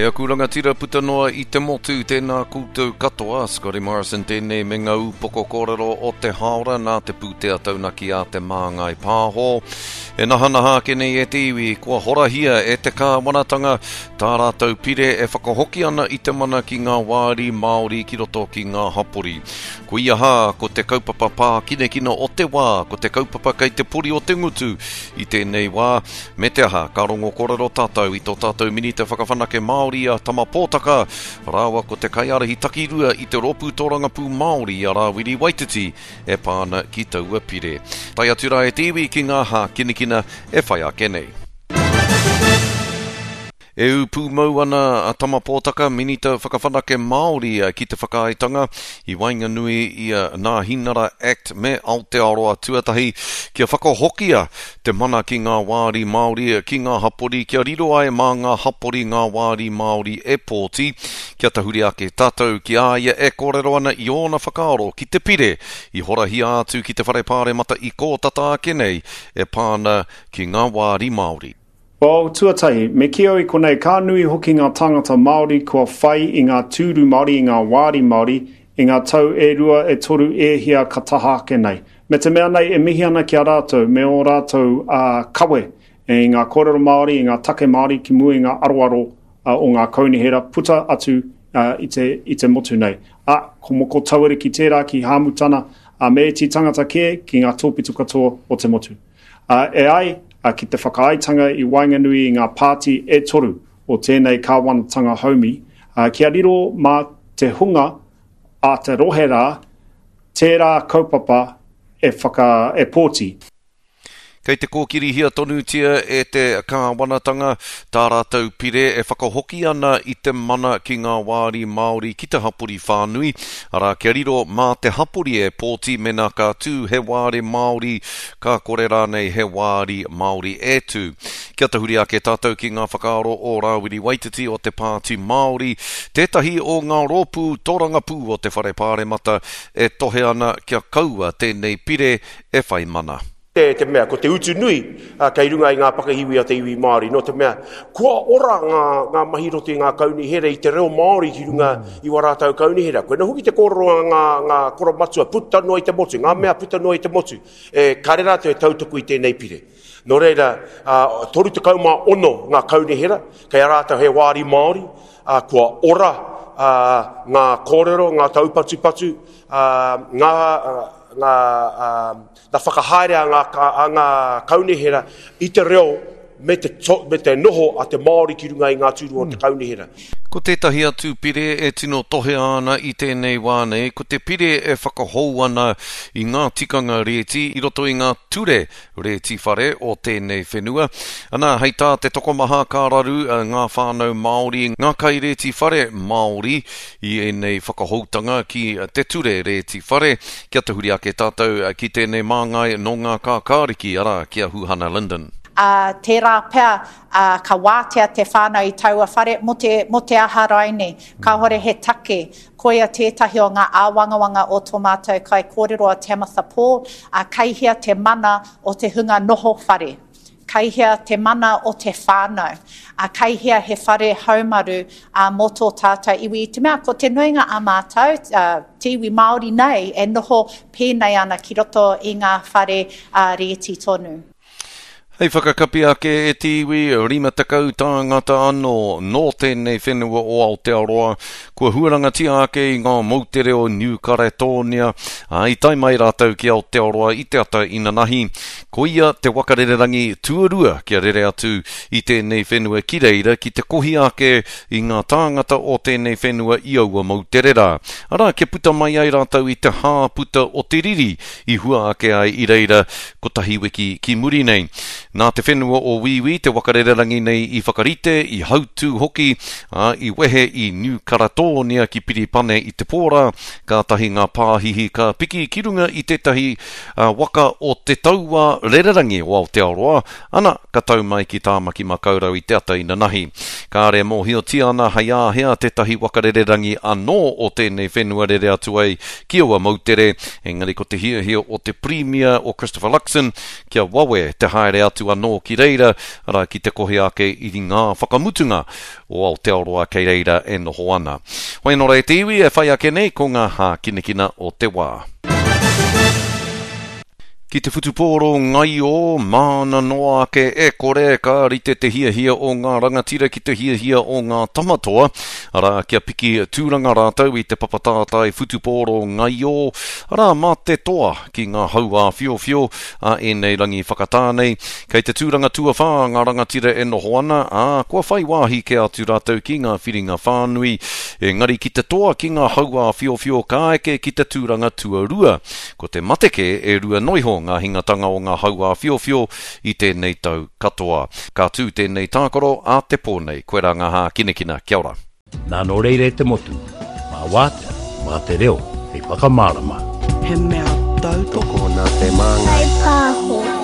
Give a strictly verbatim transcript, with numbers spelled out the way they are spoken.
E aku rangatira puta noa i te motu, tēnā koutou katoa, Scotty Morrison tēnei me ngā upoko kōrero o te haora nā te pūtea taunaki a te Māngai Pāho. E nahanaha ake nei e te iwi, kua horahia e te kāwanatanga tā rātou pire e whakahoki ana i te mana ki ngā wāri Māori ki roto ki ngā hapori. Koia hā, ko te kaupapa pākinekina o te wā, ko te kaupapa kei te pori o te ngutu i tēnei wā, me te aha, ka rongo kōrero tātou i tō tātou minita whakawhanake Māori a Tama Pōtaka, rāua ko te kaiārahi takirua i te rōpū tōrangapū Māori a Rāwiri Waititi e pā ana ki taua pire. Tae atu rā e te iwi ki ngā hākinakina e whai ake nei. E ū pūmau ana a Tama Pōtaka, Minita Whakawhanake Māori ki te whakaaetanga i waenganui i a Nāhinara Act me Aotearoa Tuatahi kia whakahokia te mana ki ngā wāri Māori ki ngā hapori kia riro ai mā ngā hapori ngā wāri Māori e pōti kia tahuri ake tātou ki a ia e kōrero ana i ōna whakaaro ki te pire i horahia atu ki te whare pāremata i kō tata ake nei e pā ana ki ngā wāri Māori. Well, tuatahi, me kī au i konei, ka nui hoki ngā tāngata Māori kua whai i ngā tūru Māori, i ngā wāri Māori, i ngā tau e rua, e toru, e hia ka taha ake nei. Me te mea nei e mihi ana ki a rātou, me ō rātou uh, kawe i ngā kōrero Māori, i ngā take Māori ki mua i ngā aroaro uh, o ngā kaunihera puta atu uh, i, te, i te motu nei. A, ko Moko Tauariki tērā ki Hāmutana, uh, me ētahi tangata kē ki ngā tōpito katoa o te motu. Uh, e ai, uh, ki te whakaaetanga i waenganui i ngā pāti e toru o tēnei kāwanatanga haumi, uh, kia riro mā te hunga a te rohe rā, tērā kaupapa e, whaka, e pōti. Kei te kōkirihia tonutia e te kāwanatanga tā rātou pire e whakahoki ana i te mana ki ngā wāri Māori ki te hapori whānui, arā kia riro mā te hapori e pōti mena ka tū he wāri Māori, ka kore rānei he wāri Māori e tū. Kia tahuri ake tātou ki ngā whakaaro o Rāwiri Waititi o te Pāti Māori, tētahi o ngā rōpū tōrangapū o te whare pāremata e tohe ana kia kaua tēnei pire e whai mana. Te, te mea, ko te utu nui uh, kei runga i ngā pakihiwi o te iwi Māori, no te mea, kua ora ngā, ngā mahi roto i ngā kaunihera i te reo Māori ki runga i wā rātou kaunihera. Koe hoki te kōrero a ngā, ngā koromatua puta noa i te motu, ngā mea puta noa i te motu, e kare rātou e tautuku i tēnei pire. Nō reira, uh, toru tekau mā ono ngā kaunihera, kei a rātou he wāri Māori, uh, kua ora uh, ngā kōrero, ngā taupatupatu, uh, ngā, uh, ngā, uh, ngā whakahaere a ngā, a ngā kaunihera i te reo me te, to, me te noho a te Māori ki runga i ngā tūru o te kaunihera. Ko tētahi atu pire e tino tohea ana i tēnei wā nei, ko te pire e whakahou ana i ngā tikanga rēti i roto i ngā ture rēti whare o tēnei whenua. Ana, hei tā te tokomaha ka raru ngā whānau Māori, ngā kairēti whare Māori i ēnei whakahoutanga ki te ture rēti whare. Kia tahuri ake tātou ki tēnei māngai nō ngā kākāriki, arā, ki a Huhana Lyndon. Uh, tērā pea uh, ka wātea te whānau i taua whare mo te, mo te aha raine. Kāhore he take. Koia tētahi o ngā āwangawanga o tō mātou kai kōrero a Tamatha Paul, uh, kei hea te mana o te hunga noho whare. Kei hea te mana o te whānau. Uh, kei hea he whare haumaru uh, mō tō tātou iwi. I te mea, ko te nuinga a mātou, uh, te iwi Māori nei, e noho pēnei ana ki roto i ngā whare uh, rēti tonu. Hei whakakapi ake e te iwi, rima tekau tāngata anō nō tēnei whenua o Aotearoa, kua huarangatia ake i ngā moutere o New Caledonia, ā, i tae mai rātou ki Aotearoa i te ata inanahi. Koia te wakarererangi tuarua kia rere atu i tēnei whenua ki reira ki te kohi ake i ngā tāngata o tēnei whenua i aua moutere rā. Arā, kia puta mai ai rātou i te hāputa o te riri i hua ake ai i reira kotahi wiki ki muri nei. Nā te whenua o Wīwī te wakarererangi nei i whakarite, i hautū hoki, ā, i wehe i New Caledonia ki Piripane i te pōrā, kātahi ngā pāhihi ka piki ki runga i tētahi uh, waka o te taua rererangi o Aotearoa, ana, ka tau mai ki Tāmaki Makaurau i te ata inanahi. Kāre mōhiotia ana hei āhea tētahi wakarererangi anō o tēnei whenua rere atu ai ki aua moutere, engari ko te hiahia o te Premier o Christopher Luxon kia wawe te haere atu atu anō ki reira, arā ki te kohi ake i ngā whakamutunga o Aotearoa kei reira e noho ana. Hoi anō rā e te iwi e whai ake nei ko ngā hākinakina o te wā. Ki te whutupōro ngaio, māna noa ake e kore ka rite te hiahia o ngā rangatira ki te hiahia o ngā tamatoa, arā kia piki tūranga rātou i te papatātai whutupōro ngaio, arā mā te toa ki ngā hau āwhiowhio a ēnei rangi whakatā nei. Kei te tūranga tuawhā ngā rangatira e noho ana, ā, kua whai wāhi kē atu rātou ki ngā whiringa whānui, engari ki te toa ki ngā hau āwhiowhio ka eke ki te tūranga tuarua. Ko te mate kē e rua noiho ngā hingatanga o ngā hau āwhiowhio i tēnei tau katoa. Ka tū tēnei tākaro ā te pō nei. Koirā ngā hākinakina. Kia ora. Nā nō reira e te motu, mā wātea, mā te reo, hei whakamārama. He mea tautoko Tokona te māngai. Whai pāho.